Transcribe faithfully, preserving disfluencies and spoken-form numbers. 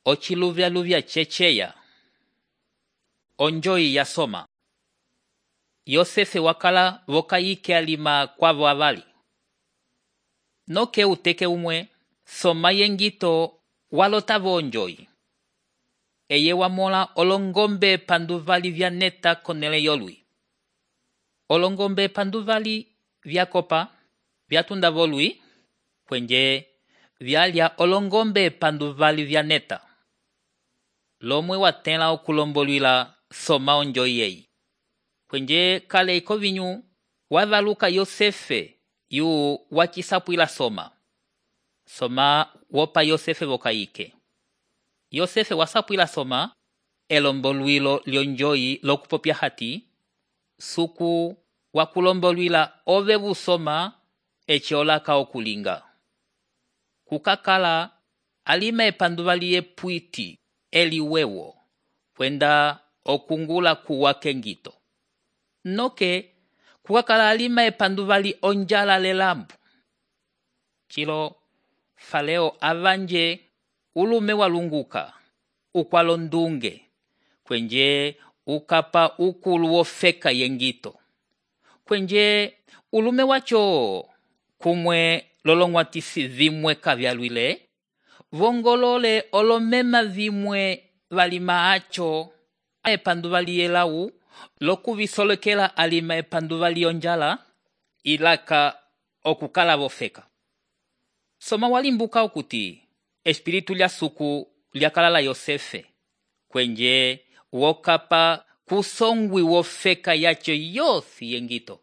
Ochiluvya-luvya checheya. Onjoyi ya soma. Yosefe wakala vokayike alima kwavo avali. Noke uteke umwe, soma yengito walotavo onjoyi. Eye wamola olongombe panduvali vya neta konele yolwi. Olongombe panduvali vya kopa, vya tunda volwi, kwenye vyalya olongombe panduvali vya neta. Lomwe watela okulombolwila soma onjoyi yeyi. Kwenye kale iko vinyu, wavaluka Yosefe yu wachisapwila soma. Soma wopa Yosefe vokayike. Yosefe wasapwila soma, elombolwilo lyonjoyi lokupopya hati, suku wakulombolwila ovevu soma echiolaka okulinga. Kukakala alima epanduvali epwiti eliwewo, kwenda okungula kuwake ngito. Noke kukakala alima epanduvali onjala lelambu. Chilo Faleo avanje ulume walunguka, ukwalondunge, kwenye ukapa ukulu wofeka yengito. Kwenye ulume wacho kumwe lolongwatisi vimwe kavyalwile, vongolole olomema vimwe valima acho epanduvali yelau, lokuvisolekela alima epanduvali onjala, ilaka okukala vofeka. Soma walimbuka okuti, espiritu lya suku lyakalala Yosefe, kwenye wokapa kusongwi wofeka yacho yosi yengito.